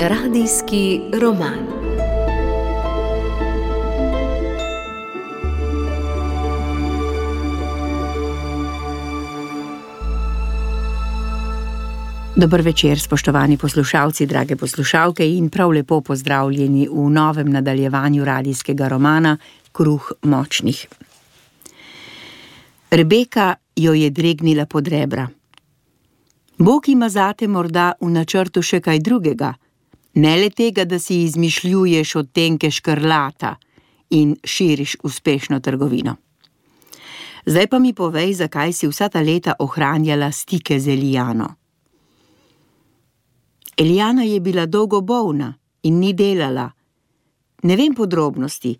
Radijski roman. Dober večer, spoštovani poslušalci, drage poslušalke, in prav lepo pozdravljeni v novem nadaljevanju radijskega romana Kruh močnih. Rebeka jo je dregnila pod rebra. Bog ima zate morda v načrtu še kaj drugega, ne le tega, da si izmišljuješ odtenke škrlata in širiš uspešno trgovino. Zdaj pa mi povej, zakaj si vsa ta leta ohranjala stike z Elijano. Elijana je bila dolgo bolna in ni delala. Ne vem podrobnosti,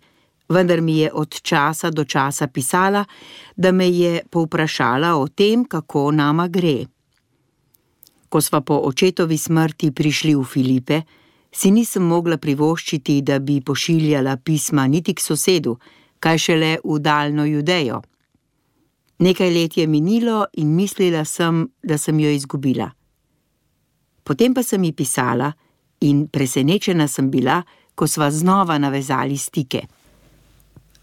vendar mi je od časa do časa pisala, da me je povprašala o tem, kako nama gre. Ko sva po očetovi smrti prišli v Filipe, si nisem mogla privoščiti, da bi pošiljala pisma niti k sosedu, kaj šele v daljno Judejo. Nekaj let je minilo in mislila sem, da sem jo izgubila. Potem pa sem ji pisala in presenečena sem bila, ko sva znova navezali stike.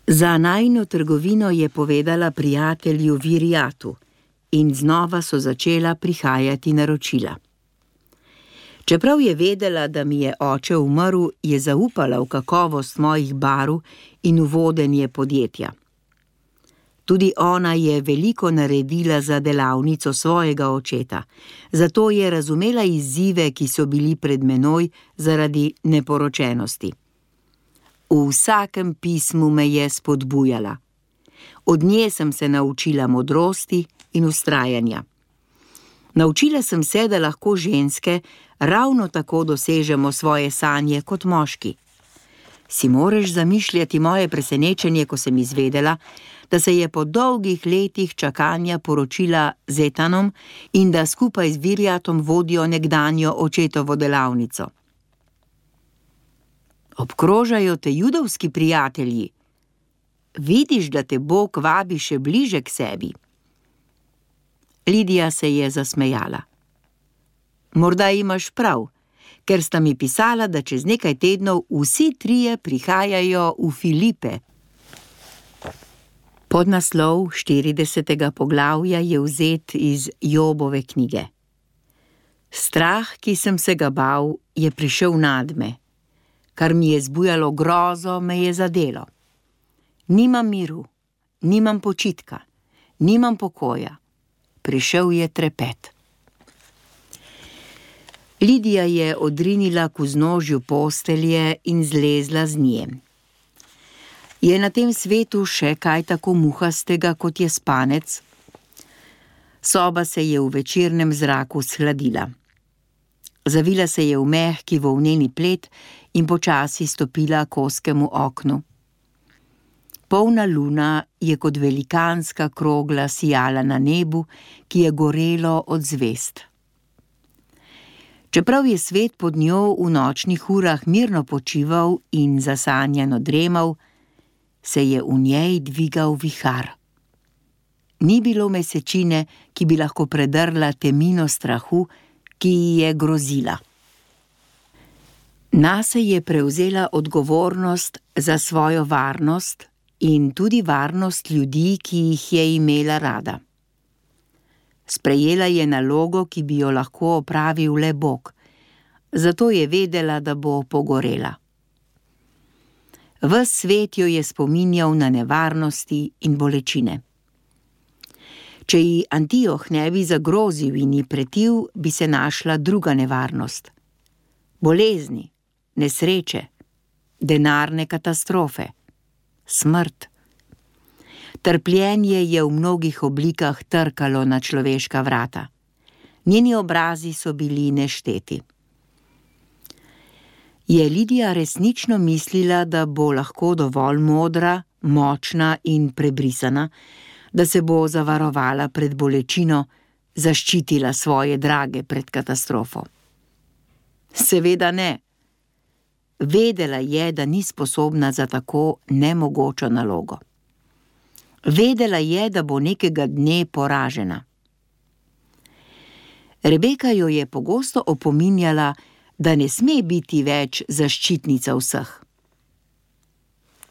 Za najino trgovino je povedala prijatelju Virijatu in znova so začela prihajati naročila. Čeprav je vedela, da mi je oče umrl, je zaupala v kakovost mojih barv in v vodenje podjetja. Tudi ona je veliko naredila za delavnico svojega očeta, zato je razumela izzive, ki so bili pred menoj zaradi neporočenosti. V vsakem pismu me je spodbujala. Od nje sem se naučila modrosti in vztrajanja. Naučila sem se, da lahko ženske ravno tako dosežemo svoje sanje kot moški. Si moreš zamišljati moje presenečenje, ko sem izvedela, da se je po dolgih letih čakanja poročila z Etanom in da skupaj z Virijatom vodijo nekdanjo očetovo delavnico. Obkrožajo te judovski prijatelji. Vidiš, da te Bog vabi še bliže k sebi. Lidija se je zasmejala. Morda imaš prav, ker sta mi pisala, da čez nekaj tednov vsi trije prihajajo v Filipe. Podnaslov 40. poglavja je vzet iz Jobove knjige. Strah, ki sem se ga bal, je prišel nadme. Kar mi je zbujalo grozo, me je zadelo. Nimam miru, nimam počitka, nimam pokoja. Prišel je trepet. Lidija je odrinila k vznožju postelje in zlezla z nje. Je na tem svetu še kaj tako muhastega, kot je spanec? Soba se je v večernem zraku shladila. Zavila se je v mehki volneni plet in počasi stopila k ozkemu oknu. Polna luna je kot velikanska krogla sijala na nebu, ki je gorelo od zvezd. Čeprav je svet pod njo v nočnih urah mirno počival in zasanjano dremal, se je v njej dvigal vihar. Ni bilo mesečine, ki bi lahko predrla temino strahu, ki ji je grozila. Nase je prevzela odgovornost za svojo varnost in tudi varnost ljudi, ki jih je imela rada. Sprejela je nalogo, ki bi jo lahko opravil le Bog, zato je vedela, da bo pogorela. Ves svet jo je spominjal na nevarnosti in bolečine. Če ji Antioh ne bi zagrozil in ji pretil, bi se našla druga nevarnost. Bolezni, nesreče, denarne katastrofe, smrt. Trpljenje je v mnogih oblikah trkalo na človeška vrata. Njeni obrazi so bili nešteti. Je Lidija resnično mislila, da bo lahko dovolj modra, močna in prebrisana, da se bo zavarovala pred bolečino, zaščitila svoje drage pred katastrofo? Seveda ne. Vedela je, da ni sposobna za tako nemogočo nalogo. Vedela je, da bo nekega dne poražena. Rebeka jo je pogosto opominjala, da ne sme biti več zaščitnica vseh.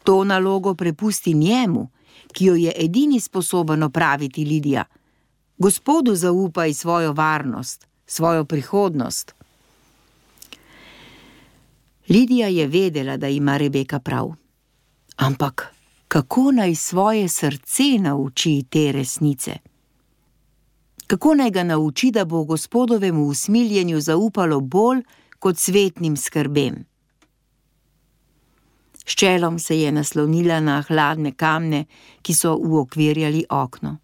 To nalogo prepusti njemu, ki jo je edini sposoben opraviti, Lidija. Gospodu zaupaj svojo varnost, svojo prihodnost. Lidija je vedela, da ima Rebeka prav. Ampak kako naj svoje srce nauči te resnice? Kako naj ga nauči, da bo Gospodovemu usmiljenju zaupalo bolj kot svetnim skrbem? S čelom se je naslonila na hladne kamne, ki so uokvirjali okno.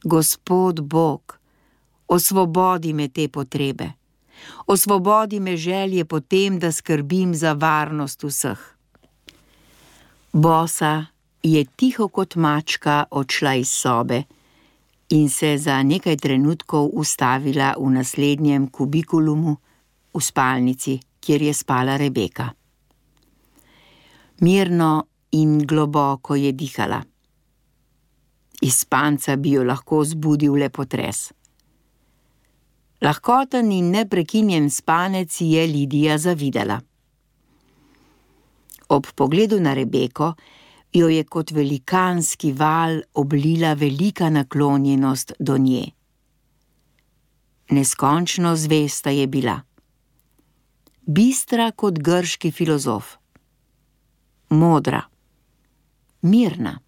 Gospod Bog, osvobodi me te potrebe. Osvobodi me želje po tem, da skrbim za varnost vseh. Bosa je tiho kot mačka odšla iz sobe in se za nekaj trenutkov ustavila v naslednjem kubikulumu v spalnici, kjer je spala Rebeka. Mirno in globoko je dihala. Iz spanca bi jo lahko zbudil le potres. Lahkoten in neprekinjen spanec je Lidija zavidela. Ob pogledu na Rebeko jo je kot velikanski val oblila velika naklonjenost do nje. Neskončno zvesta je bila. Bistra kot grški filozof. Modra. Mirna.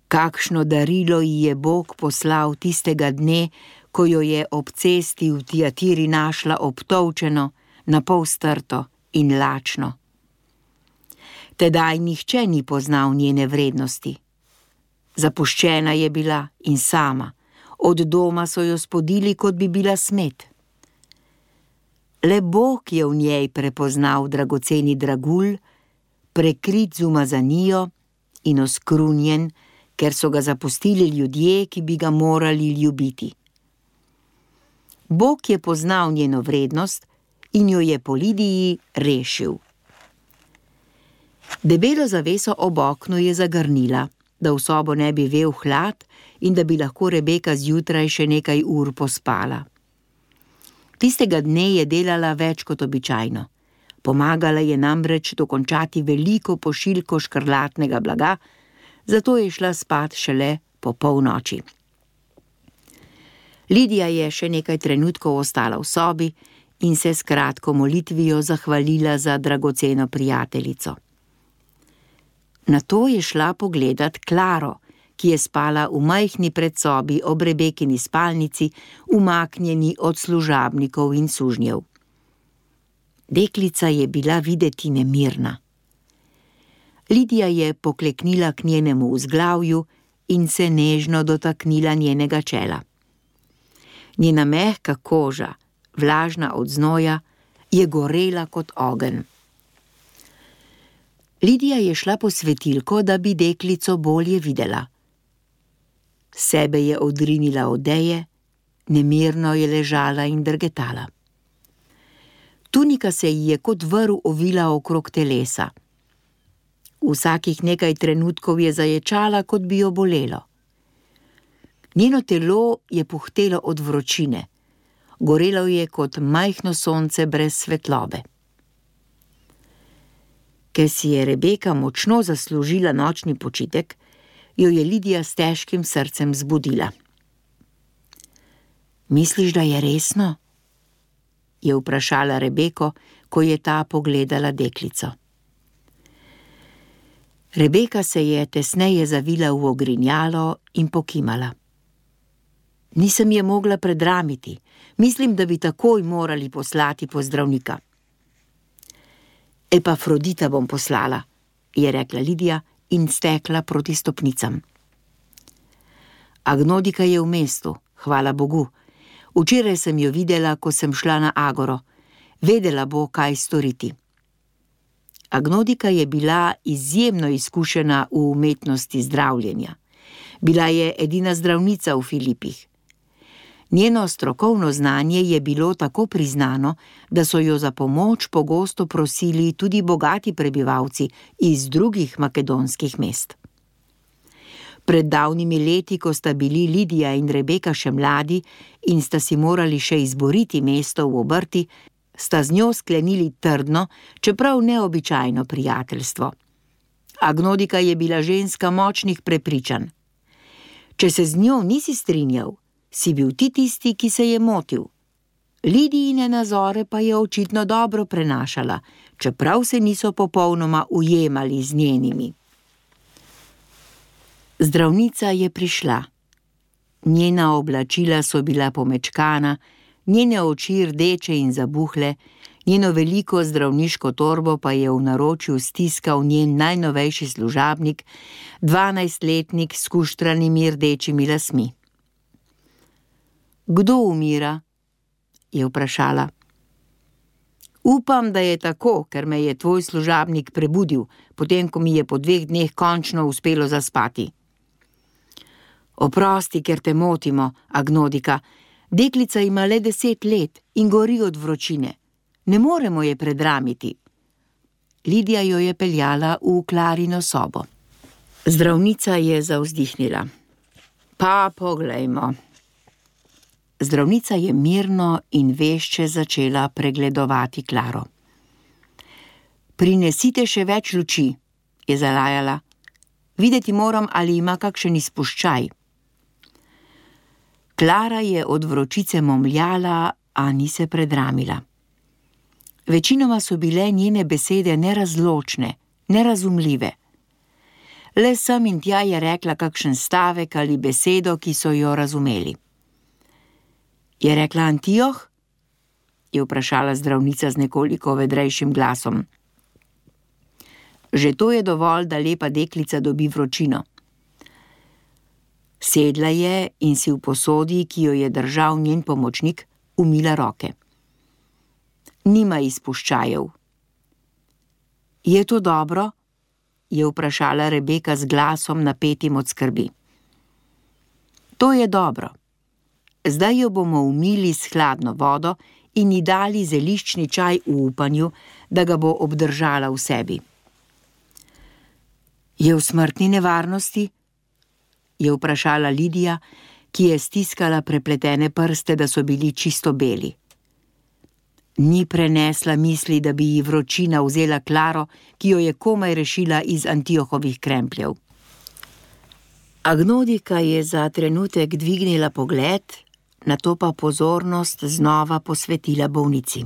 Kakšno darilo ji je Bog poslal tistega dne, ko jo je ob cesti v Tiatiri našla obtolčeno, napol strto in lačno. Tedaj nihče ni poznal njene vrednosti. Zapuščena je bila in sama, od doma so jo spodili, kot bi bila smet. Le Bog je v njej prepoznal dragoceni dragulj, prekrit z umazanijo in oskrunjen, ker so ga zapustili ljudje, ki bi ga morali ljubiti. Bog je poznal njeno vrednost in jo je po Lidiji rešil. Debelo zaveso ob oknu je zagrnila, da v sobo ne bi vel hlad in da bi lahko Rebeka zjutraj še nekaj ur pospala. Tistega dne je delala več kot običajno. Pomagala je namreč dokončati veliko pošiljko škrlatnega blaga, zato je šla spat šele po polnoči. Lidija je še nekaj trenutkov ostala v sobi in se s kratko molitvijo zahvalila za dragoceno prijateljico. Nato je šla pogledat Klaro, ki je spala v majhni predsobi ob Rebekini spalnici, umaknjeni od služabnikov in sužnjev. Deklica je bila videti nemirna. Lidija je pokleknila k njenemu vzglavju in se nežno dotaknila njenega čela. Njena mehka koža, vlažna od znoja, je gorela kot ogenj. Lidija je šla po svetilko, da bi deklico bolje videla. Sebe je odrinila odeje, nemirno je ležala in drgetala. Tunika se ji je kot vrv ovila okrog telesa. Vsakih nekaj trenutkov je zaječala, kot bi jo bolelo. Njeno telo je puhtelo od vročine, gorelo je kot majhno sonce brez svetlobe. Ker si je Rebeka močno zaslužila nočni počitek, jo je Lidija s težkim srcem zbudila. Misliš, da je resno? Je vprašala Rebeko, ko je ta pogledala deklico. Rebeka se je tesneje zavila v ogrinjalo in pokimala. Nisem je mogla predramiti. Mislim, da bi takoj morali poslati po zdravnika. Epafrodita bom poslala, je rekla Lidija in stekla proti stopnicam. Agnodika je v mestu, hvala Bogu. Včeraj sem jo videla, ko sem šla na agoro. Vedela bo, kaj storiti. Agnodika je bila izjemno izkušena v umetnosti zdravljenja. Bila je edina zdravnica v Filipih. Njeno strokovno znanje je bilo tako priznano, da so jo za pomoč pogosto prosili tudi bogati prebivalci iz drugih makedonskih mest. Pred davnimi leti, ko sta bili Lidija in Rebeka še mladi in sta si morali še izboriti mesto v obrti, sta z njo sklenili trdno, čeprav neobičajno prijateljstvo. Agnodika je bila ženska močnih prepričanj. Če se z njo nisi strinjal, si bil ti tisti, ki se je motil. Lidijine nazore pa je očitno dobro prenašala, čeprav se niso popolnoma ujemali z njenimi. Zdravnica je prišla. Njena oblačila so bila pomečkana, njene oči rdeče in zabuhle, njeno veliko zdravniško torbo pa je v naročju stiskal njen najnovejši služabnik, 12-letnik s kuštranimi rdečimi lasmi. Kdo umira? Je vprašala. Upam, da je tako, ker me je tvoj služabnik prebudil, potem ko mi je po 2 dneh končno uspelo zaspati. Oprosti, ker te motimo, Agnodika. Deklica ima le 10 let in gori od vročine. Ne moremo je predramiti. Lidija jo je peljala v Klarino sobo. Zdravnica je zavzdihnila. Pa poglejmo. Zdravnica je mirno in vešče začela pregledovati Klaro. Prinesite še več luči, je zalajala. Videti moram, ali ima kakšen izpuščaj. Klara je od vročice momljala, a ni se predramila. Večinoma so bile njene besede nerazločne, nerazumljive. Le sem in tja je rekla kakšen stavek ali besedo, ki so jo razumeli. Je rekla Antioh? Je vprašala zdravnica z nekoliko vedrejšim glasom. Že to je dovolj, da lepa deklica dobi vročino. Sedla je in si v posodi, ki jo je držal njen pomočnik, umila roke. Nima izpuščajev. Je to dobro? Je vprašala Rebeka z glasom napetim od skrbi. To je dobro. Zdaj jo bomo umili s hladno vodo in ji dali zeliščni čaj v upanju, da ga bo obdržala v sebi. Je v smrtni nevarnosti? Je vprašala Lidija, ki je stiskala prepletene prste, da so bili čisto beli. Ni prenesla misli, da bi ji vročina vzela Klaro, ki jo je komaj rešila iz Antiohovih krempljev. Agnodika je za trenutek dvignila pogled, nato pa pozornost znova posvetila bolnici.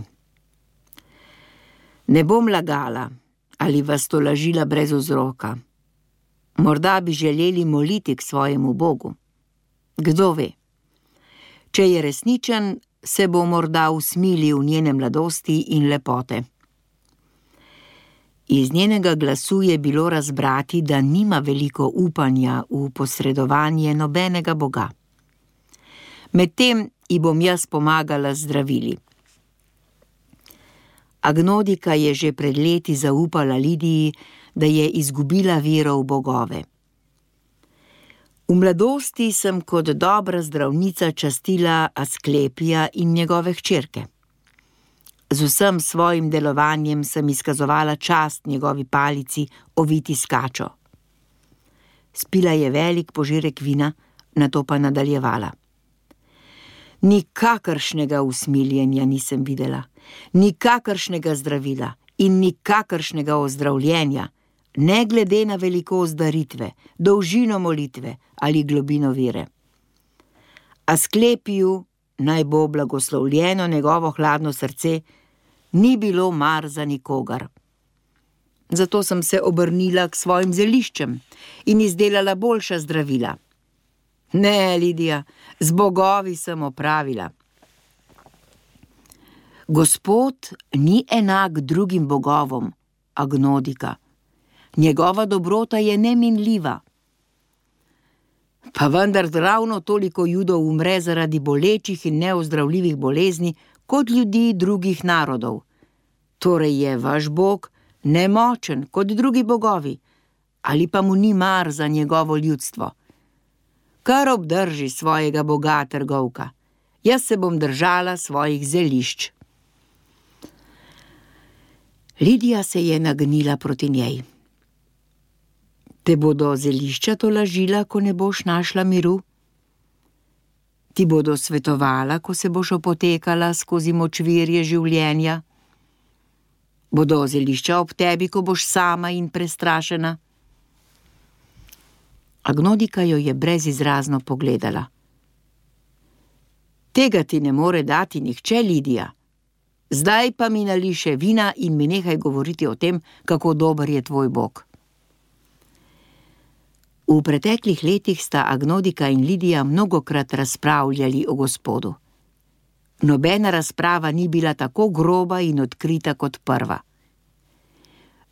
Ne bom lagala ali vas tolažila brez vzroka. Morda bi želeli moliti k svojemu Bogu. Kdo ve? Če je resničen, se bo morda usmilil njene mladosti in lepote. Iz njenega glasu je bilo razbrati, da nima veliko upanja v posredovanje nobenega boga. Medtem ji bom jaz pomagala z zdravili. Agnodika je že pred leti zaupala Lidiji, da je izgubila vero v bogove. V mladosti sem kot dobra zdravnica častila Asklepija in njegove hčerke. Z vsem svojim delovanjem sem izkazovala čast njegovi palici, oviti s kačo. Spila je velik požirek vina, nato pa nadaljevala. Nikakršnega usmiljenja nisem videla, nikakršnega zdravila in nikakršnega ozdravljenja, ne glede na velikost daritve, dolžino molitve ali globino vere. Asklepiju, naj bo blagoslovljeno njegovo hladno srce, ni bilo mar za nikogar. Zato sem se obrnila k svojim zeliščem in izdelala boljša zdravila. Ne, Lidija, z bogovi sem opravila. Gospod ni enak drugim bogovom, Agnodika. Njegova dobrota je neminljiva. Pa vendar ravno toliko Judov umre zaradi bolečih in neozdravljivih bolezni, kot ljudi drugih narodov. Torej je vaš Bog nemočen kot drugi bogovi, ali pa mu ni mar za njegovo ljudstvo. Kar obdrži svojega boga, trgovka. Jaz se bom držala svojih zelišč. Lidija se je nagnila proti njej. Te bodo zelišča tolažila, ko ne boš našla miru? Ti bodo svetovala, ko se boš opotekala skozi močvirje življenja? Bodo zelišča ob tebi, ko boš sama in prestrašena? Agnodika jo je brezizrazno pogledala. Tega ti ne more dati nihče, Lidija. Zdaj pa mi nali še vina in mi nehaj govoriti o tem, kako dober je tvoj Bog. V preteklih letih sta Agnodika in Lidija mnogokrat razpravljali o Gospodu. Nobena razprava ni bila tako groba in odkrita kot prva.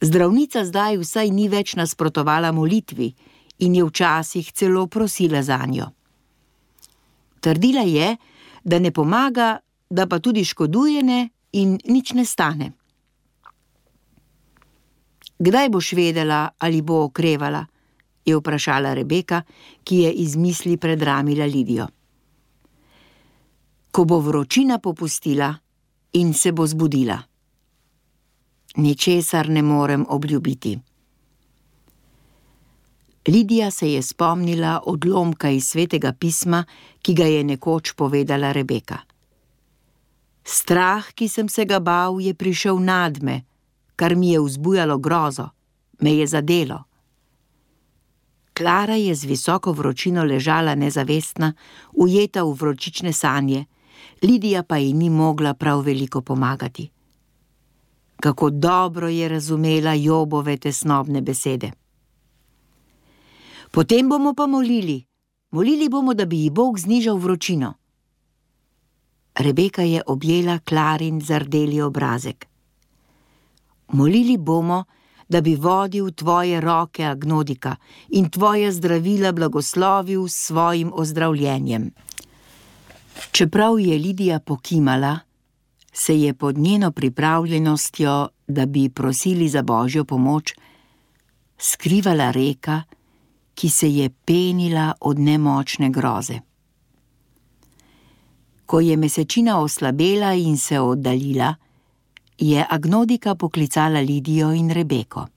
Zdravnica zdaj vsaj ni več nasprotovala molitvi in je včasih celo prosila zanjo. Trdila je, da ne pomaga, da pa tudi škoduje ne in nič ne stane. Kdaj boš vedela, ali bo okrevala? Je vprašala Rebeka, ki je iz misli predramila Lidijo. Ko bo vročina popustila in se bo zbudila. Ničesar ne morem obljubiti. Lidija se je spomnila odlomka iz Svetega pisma, ki ga je nekoč povedala Rebeka. Strah, ki sem se ga bal, je prišel nadme, kar mi je vzbujalo grozo, me je zadelo. Klara je z visoko vročino ležala nezavestna, ujeta v vročične sanje, Lidija pa ji ni mogla prav veliko pomagati. Kako dobro je razumela Jobove tesnobne besede. Potem bomo pa molili bomo, da bi ji Bog znižal vročino. Rebeka je objela Klarin zardeli obrazek. Molili bomo, da bi vodil tvoje roke, Agnodika, in tvoje zdravila blagoslovil s svojim ozdravljenjem. Čeprav je Lidija pokimala, se je pod njeno pripravljenostjo, da bi prosili za Božjo pomoč, skrivala reka, ki se je penila od nemočne groze. Ko je mesečina oslabela in se oddaljila, je Agnodika poklicala Lidijo in Rebeko.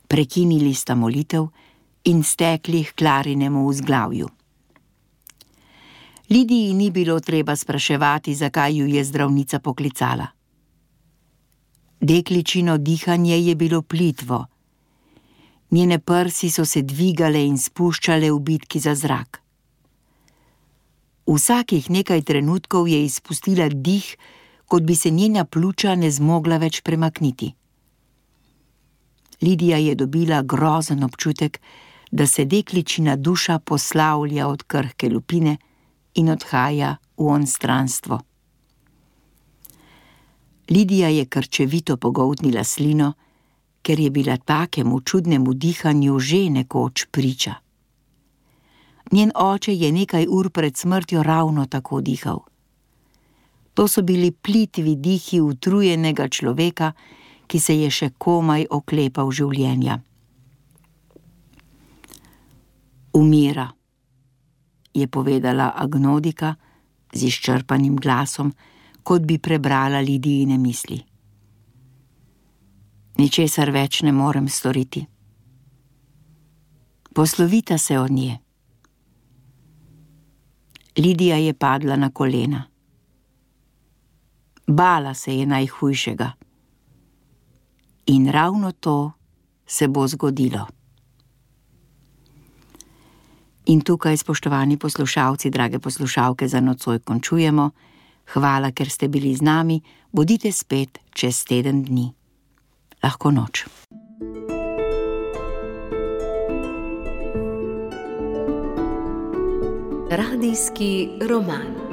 Prekinili sta molitev in stekli k Klarinemu vzglavju. Lidiji ni bilo treba spraševati, zakaj ju je zdravnica poklicala. Dekličino dihanje je bilo plitvo. Njene prsi so se dvigale in spuščale v bitki za zrak. Vsakih nekaj trenutkov je izpustila dih, kot bi se njena pljuča ne zmogla več premakniti. Lidija je dobila grozen občutek, da se dekličina duša poslavlja od krhke lupine in odhaja v onstranstvo. Lidija je krčevito pogoltnila slino, ker je bila takemu čudnemu dihanju že nekoč priča. Njen oče je nekaj ur pred smrtjo ravno tako dihal. To so bili plitvi dihi utrujenega človeka, ki se je še komaj oklepal življenja. Umira, je povedala Agnodika z izčrpanim glasom, kot bi prebrala Lidijine misli. Ničesar več ne morem storiti. Poslovita se od nje. Lidija je padla na kolena. Bala se je najhujšega. In ravno to se bo zgodilo. In tukaj, spoštovani poslušalci, drage poslušalke, za nocoj končujemo. Hvala, ker ste bili z nami. Bodite spet čez teden dni. Lahko noč. Radijski roman.